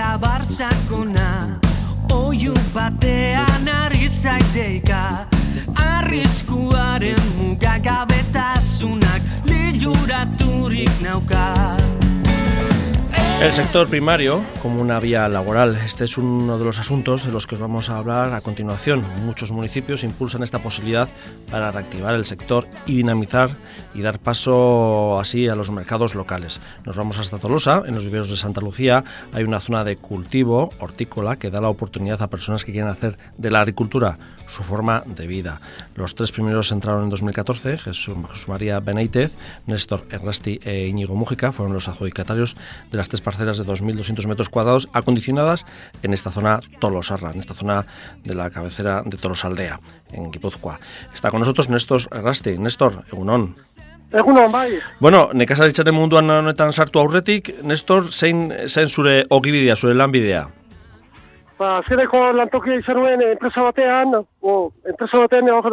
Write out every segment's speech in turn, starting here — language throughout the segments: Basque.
eta barsakona, oiu batean ari zaiteika, arriskuaren mugagabetasunak liluraturik nauka. El sector primario como una vía laboral. Este es uno de los asuntos de los que os vamos a hablar a continuación. Muchos municipios impulsan esta posibilidad para reactivar el sector y dinamizar y dar paso así a los mercados locales. Nos vamos hasta Tolosa, en los viveros de Santa Lucía. Hay una zona de cultivo hortícola que da la oportunidad a personas que quieren hacer de la agricultura su forma de vida. Los 3 primeros entraron en 2014, Jesús María Benítez, Néstor Errasti e Íñigo Mújica fueron los adjudicatarios de las 3 parcelas de 2.200 metros cuadrados acondicionadas en esta zona tolosarra, en esta zona de la cabecera de Tolosaldea, en Guipúzcoa. Está con nosotros Néstor Errasti. Néstor, egunon. Egunon, bai. Bueno, nekazaritzaren munduan honetan sartu aurretik, Néstor, zein zure ogibidea, zure lanbidea? Azkeneko lantokia izan nuen enpresa batean hor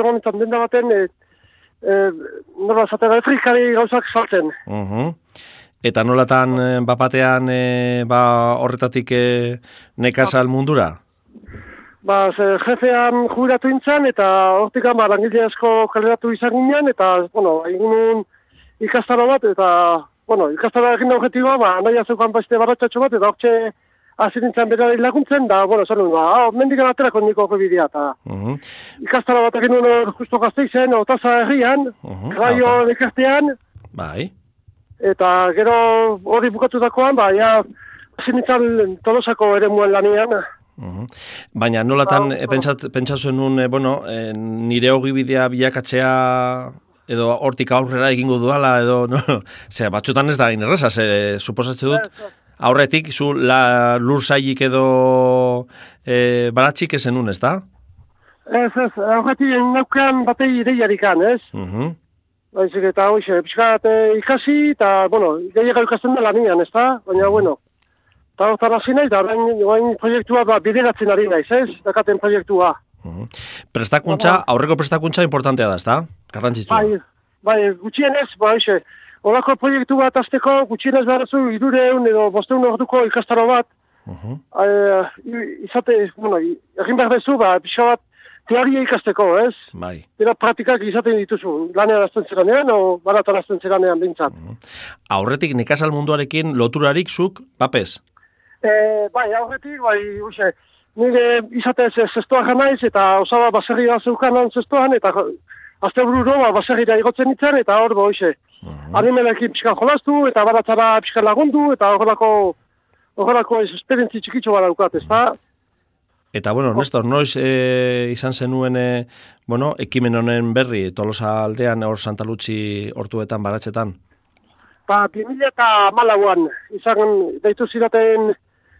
egonetan denda baten, nola zaten, elektrikari gauzak saltzen. Eta nolatan bapatean horretatik nekazal mundura? Jefean jubilatu intzan, eta hortikan langile asko kaleratu izan ginen, eta, egun ikastaro bat, eta, ikastaro egin da objetiboa, nahi azeukan beste barratxatxo bat, eta hortxe hasi nintzen berari laguntzen, da, zan nuen, mendikan aterako niko bidea, eta ikastaro bat egin nuen justo Gasteizen, Otaza herrian, Raio ekartean, bai. Eta gero hori bukatutakoan, hasi nintzen Tolosako eremuan lanian. Baina nolatan pentsatu nuen, nire ogibidea bilakatzea edo hortik aurrera egingo duala, edo, batzutan ez da inerreza, suposatzen dut, aurretik zu lur zailik edo baratxik ezen ez da? Ez, aurretik naukan batei ideiarikan, ez? Baizik eta hoxe, pixkat ikasi, eta, ideiak ikasten da lanian, ez da? Baina, eta hortan hasi nahi, eta orain proiektua bideratzen ari naiz, ez? Dakaten proiektua. Prestakuntza, aurreko prestakuntza importantea da, ez da? Garrantzitsua. Bai, gutxienez, hoxe, horako proiektu bat azteko, gutxienez beharazu 300 edo 500 orduko ikastaro bat, egin behar dezu, pixka bat, teoria ikasteko, ez? Bai. Dira praktikak izaten dituzu, lanean azten zeranean, o baratan azten zeranean bintzat. Aurretik nekazal munduarekin loturarik zuk, papez? Aurretik, nire izatez zestoa janaiz, eta osaba baserria zeukanan zestoan, eta azte bururo baserria igotzen nintzen, eta hor, animelekin pixkan jolastu, eta baratzara pixkan lagundu, eta horrelako esperientzi txikitxo bat daukat, ez da? Eta, Néstor, noiz izan zenuen, ekimen honen berri, Tolosa aldean, hor Santa Lutzi hortuetan, baratzetan? 2014an izan deitu ziraten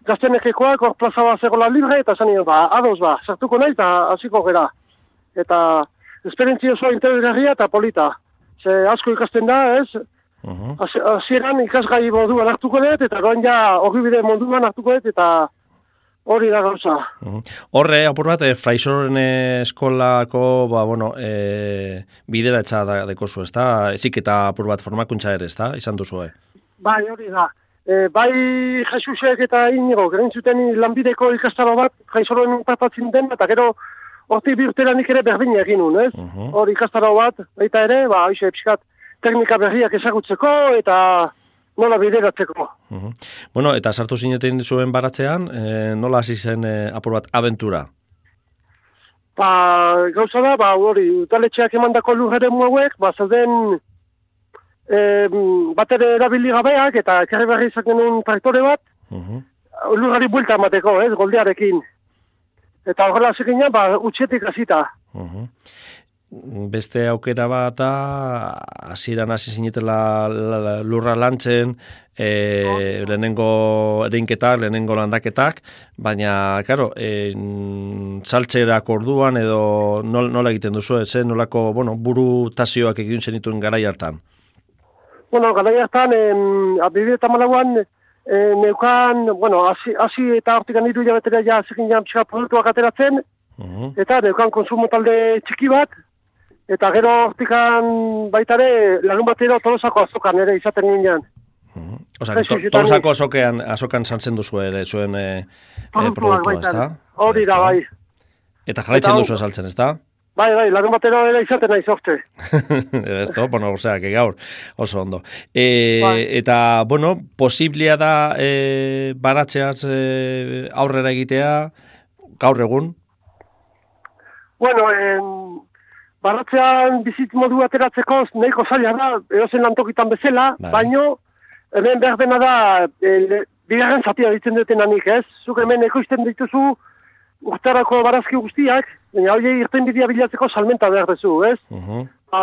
gaztenekekoak, hor plaza bat zegoela libre, eta zan ados sartuko nahi, eta hasiko gera. Eta esperientzia oso interesgarria eta polita. Ze asko ikasten da, ez? Hasieran ikasgai moduan hartuko dut, eta goen ogibide moduan hartuko dut, eta hori da gauza. Horre, apur bat, Fraisoren eskolako, bidera etxa dekozu, ez da? Ezik eta apur bat formakuntza ere, ez da? Izan duzu, Bai, hori da. Bai, Jesusek eta Inigo, geren zuten lanbideko ikastaro bat, Fraisoren partatzen den, eta gero, hortik bi urteranik ere berdin egin nun, ez? Hori ikastaro bat, baita ere, pixkat, teknika berriak ezagutzeko, eta nola bideratzeko. Eta sartu zineten zuen baratzean, nola hasi zen apur bat abentura? Gauza da, hori, utaletxeak emandako lurreren hauek, zauden bat ere erabili gabeak, eta ekarri berri izan genuen traktore bat, lurrari buelta emateko, goldearekin. Eta horrela zeginan, utxetik hasita. Beste aukera bat hasieran hasi zinetela lurra lantzen, lehenengo erinketak, lehenengo landaketak, baina, karo, saltzerak orduan edo nola egiten duzu, nolako, buru tazioak egin zenituen garai hartan? Garai hartan, 2014an, neukan, hasi eta hortikan 3 hilabetera zegin pixka produktuak ateratzen, eta neukan konsumo talde txiki bat, eta gero hortikan baitare lagun batera Tolosako azokan ere izaten ginen. Osa, Tolosako azokan santzen duzu ere, zuen produktua, ez da? Hori da, bai. Eta jarraitzen duzu esaltzen, ez da? Bai, larun batera ere izaten nahi zorte. Esto, bueno, osea, que gaur, oso ondo. Eta, bueno, posiblea da baratzeaz aurrera egitea, gaur egun? Bueno, baratzean bizit modu ateratzeko nahiko zaila da, edozen lantokitan bezala, baino, hemen behar dena da, bigarren zatia ditzen dutenanik, ez? Zuk hemen ekoizten dituzu urtarako barazki guztiak, baina hori irten bidea bilatzeko salmenta behar dezu, ez?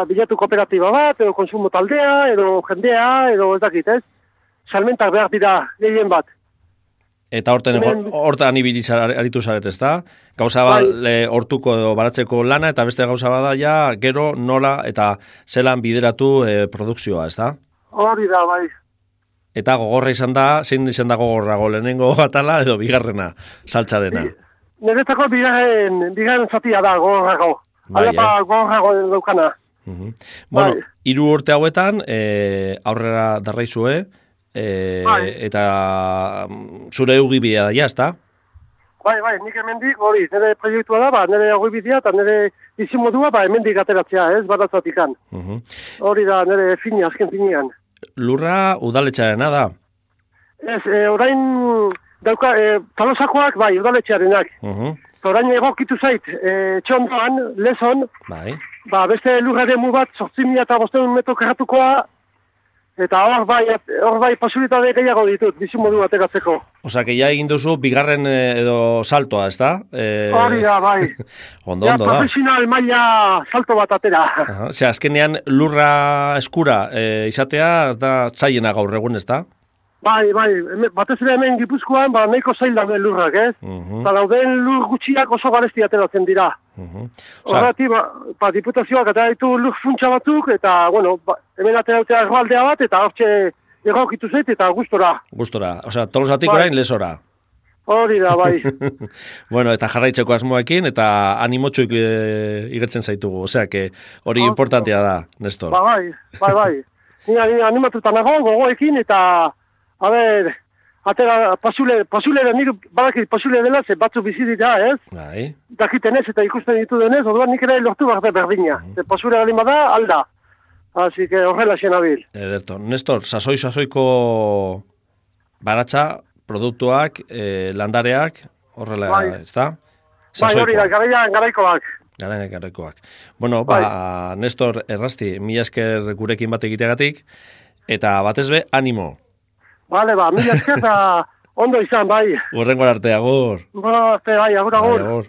Bilatu kooperatiba bat, edo konsumo taldea, edo jendea, edo ez dakit, ez? Salmentak behar dira gehien bat. Eta hortan ibili aritu zaret, ez da? Gauza bat hortuko edo baratzeko lana, eta beste gauza bada ja, gero nola eta zelan bideratu produkzioa, ez da? Hori da, bai. Eta gogorra izan da, zein izan da gogorrago, lehenengo atala edo bigarrena, saltzarena? Niretako bigarren zatia da gogorrago. Alapa gogorrago daukana. Bueno, 3 urte hauetan, aurrera darraizue, eta zure eugibidea da, ez da? Bai, nik hemendik, hori, nire proiektua da, nire eugibidea eta nire izimodua, hemendik ateratzea, ez, baratzatikan. Hori da, nire azken finean. Lurra udaletxarena da? Ez, orain dauka, Tolosakoak, udaletxarenak. Orain egokitu zait, txondoan, lezon, beste lurraren bat, 8.500 metro karratukoa, eta hor bai posibilitate gehiago ditut, bizimodu ateratzeko. Osa, que ja egin duzu bigarren edo saltoa, ez da? Hori da, bai. Ondo da. Profesional maila salto bat atera. Osea, azkenean lurra eskura izatea, da txaiena gaur egun, ez da? Bai, batez ere hemen Gipuzkoan, nahiko zail dauden lurrak, ez? Eta dauden lur gutxiak oso garesti ateratzen dira. Horreti, diputazioak atera ditu lur funtsa batzuk, eta, bueno, hemen ateratzea erroaldea bat, eta hortxe egokitu zait, eta gustora. Gustora, osea, Tolosatik orain lezora. Hori da, bai. Bueno, eta jarraitzeko asmoekin, eta animotxuik igertzen zaitugu, osea, que hori importantea da, Nestor. Bai. Ni animatuta nago, gogoekin, eta... A ber, atera, pasulera nire, badakit pasule dela, ze batzu bizi dira, ez? Bai. Dakiten ez, eta ikusten ditu denez, orduan nik ere lortu behar berdina. Pasulera galin bada, alda. Así que horrela xena bil. Ederto. Nestor, sasoiko baratza, produktuak, landareak, horrela, ez da? Bai, hori da, garaikoak. Garaikoak. Bueno, Nestor Errasti, mila esker gurekin bat egiteagatik, eta batez be, animo. Bale, mila esker eta ondo izan, bai. Urrengo arte, agur. Bai, agur.